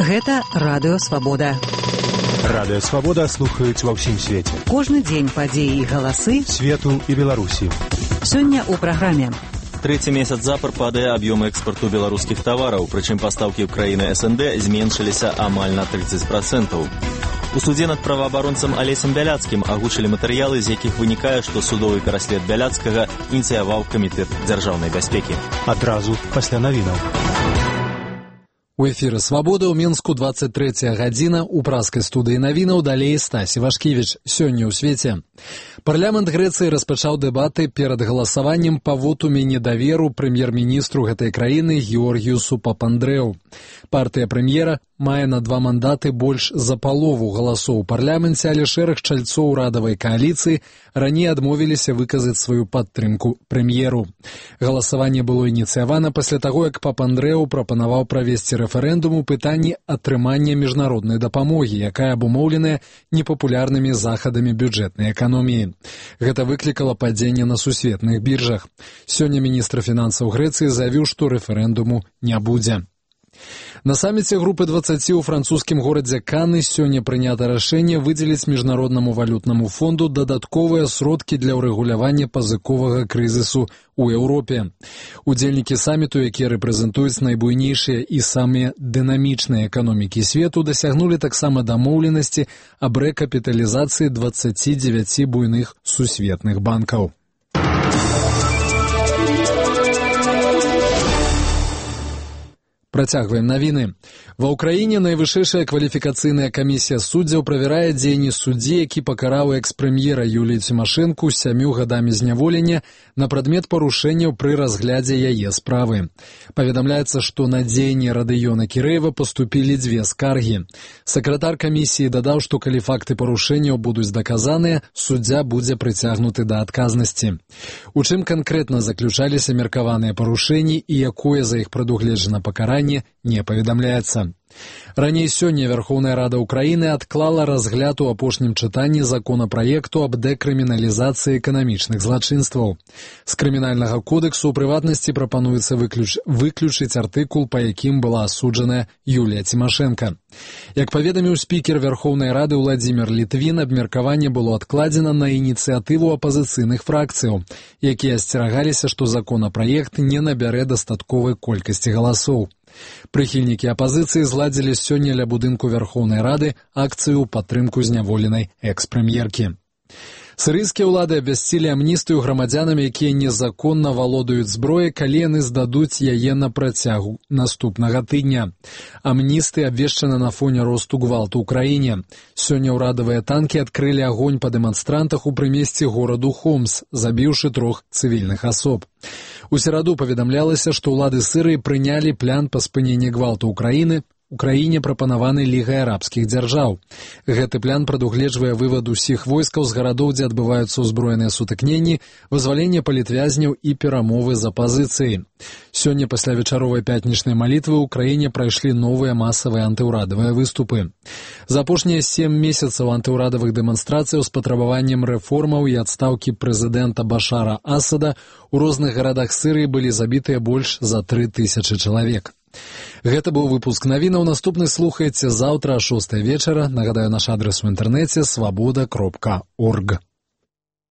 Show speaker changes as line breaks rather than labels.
Гэта Радыё Свабода.
Радыё Свабода слухаюць ва ўсім свеце.
Кожны дзень падзеі і галасы
свету і Беларусі.
Сёння ў праграме.
Трэці месяц запар падае аб'ём экспарту беларускіх тавараў, прычым пастаўкі ў краіны СНД зменшыліся амаль на 30%. У судзе над праваабаронцам Алесем Бяляцкім агучылі матэрыялы, з якіх вынікае, што судовы пераслед Бяляцкага ініцыяваў камітэт дзяржаўнай бяспекі.
Адразу пасля навінаў.
У эфіры «Свабода» ў Мінску 23 гадзіна. У праскай студыі навінаў далей Стасі Вашкевіч. Сёння ў свеце. Парламент Грэцыі распачаў дэбаты перад галасаваннем па вотуме недаверу прэм'ер-міністру гэтай краіны Георгіюсу Папандрэу. Партыя прэм'ера мае на 2 мандаты больш за палову галасоў у парламенце, але шэраг чальцоў урадавай кааліцыі раней адмовіліся выказаць сваю падтрымку прэм'еру. Галасаванне было ініцыявана пасля таго, як Папандрэу прапанаваў правесці рэферэндум у пытанні атрымання міжнароднай дапамогі, якая абумоўленая непапулярнымі захадамі бюджэтнай эканоміі. Гэта выклікала падзенне на сусветных біржах. Сёння міністр фінансаў Грэцыі заявіў, што рэферэндуму не будзе. На саміце групы 20 у французскім горадзе Каны сёння прынята рашэнне выдзеліць Міжнароднаму валютнаму фонду дадатковыя сродкі для ўрэгулявання пазыковага крызісу у Еўропе. Удзельнікі саміту, якія рэпрэзентуюць найбуйнейшыя і самыя дынамічныя эканомікі свету, дасягнулі таксама дамоўленасці аб рэкапіталізацыі 29 буйных сусветных банкаў. Працягваем навіны. Ва ўкраіне найвышэйшая кваліфікацыйная камісія суддзяў правярае дзеянні суддзі, які пакараў экс-прэм'ера Юлію Цімашэнку 7 гадамі зняволення на прадмет парушэнняў пры разглядзе яе справы. Паведамляецца, што на дзеянні Радыёна Кірэева паступілі 2 скаргі. Сакратар камісіі дадаў, што калі факты парушэнняў будуць даказаныя, суддзя будзе прыцягнуты да адказнасці. У чым канкрэтна заключаліся меркаваныя парушэнні і якое за іх прадугледжана пакаранне, не паведамляецца. Раней сёння Верховная Рада Украіны адклала разгляд у апошнім чытанні законапраекту аб дэкрыміналізацыі эканамічных злачынстваў. З крымінальнага кодексу ў прыватнасці прапануецца выключыць артыкул, па якім была асуджаная Юлія Цімашэнка. Як паведаміў спікер Верховнай Рады Владзімір Літвін, абмеркаванне было адкладзена на ініцыятыву апазіцыйных фракцыяў, якія асцерагаліся, што законапраект не набярэ дастатковай колькасці галасоў. Прыхільнікі апазіцыі зладзілі сёння ля будынку Верховнай Рады акцыю ў падтрымку зняволенай экс-прэм'еркі. Сірыйскія ўлады абвясцілі амністыю грамадзянам, якія незаконна валодаюць зброяй, калі яны здадуць яе на працягу наступнага тыдня. Амністыя абвешчана на фоне росту гвалту ў краіне. Сёння ўрадавыя танкі адкрылі агонь па дэманстрантах у прымесці гораду Хомс, забіўшы 3 цывільных асоб. У сераду паведамлялася, што ўлады Сірыі прынялі план па спыненні гвалту ў краіне прапанаваны Лігай арабскіх дзяржаў. Гэты план прадугледжвае вывад усіх войскаў з гарадоў, дзе адбываюцца ўзброеныя сутыкненні, вызваленне палітвязняў і перамовы з апазіцыяй. Сёння пасля вечаровай пятнічнай малітвы ў краіне прайшлі новыя масавыя антыўрадавыя выступы. За апошнія 7 месяцаў антыўрадавых дэманстрацыяў з патрабаваннем рэформаў і адстаўкі прэзідэнта Башара Асада у розных гарадах Сірыі былі забітыя больш за 3000 чалавек. Гэта быў выпуск навінаў. Наступны слухаеце заўтра о 6 вечара. Нагадаю, наш адрес у інтэрнэце свабода.орг.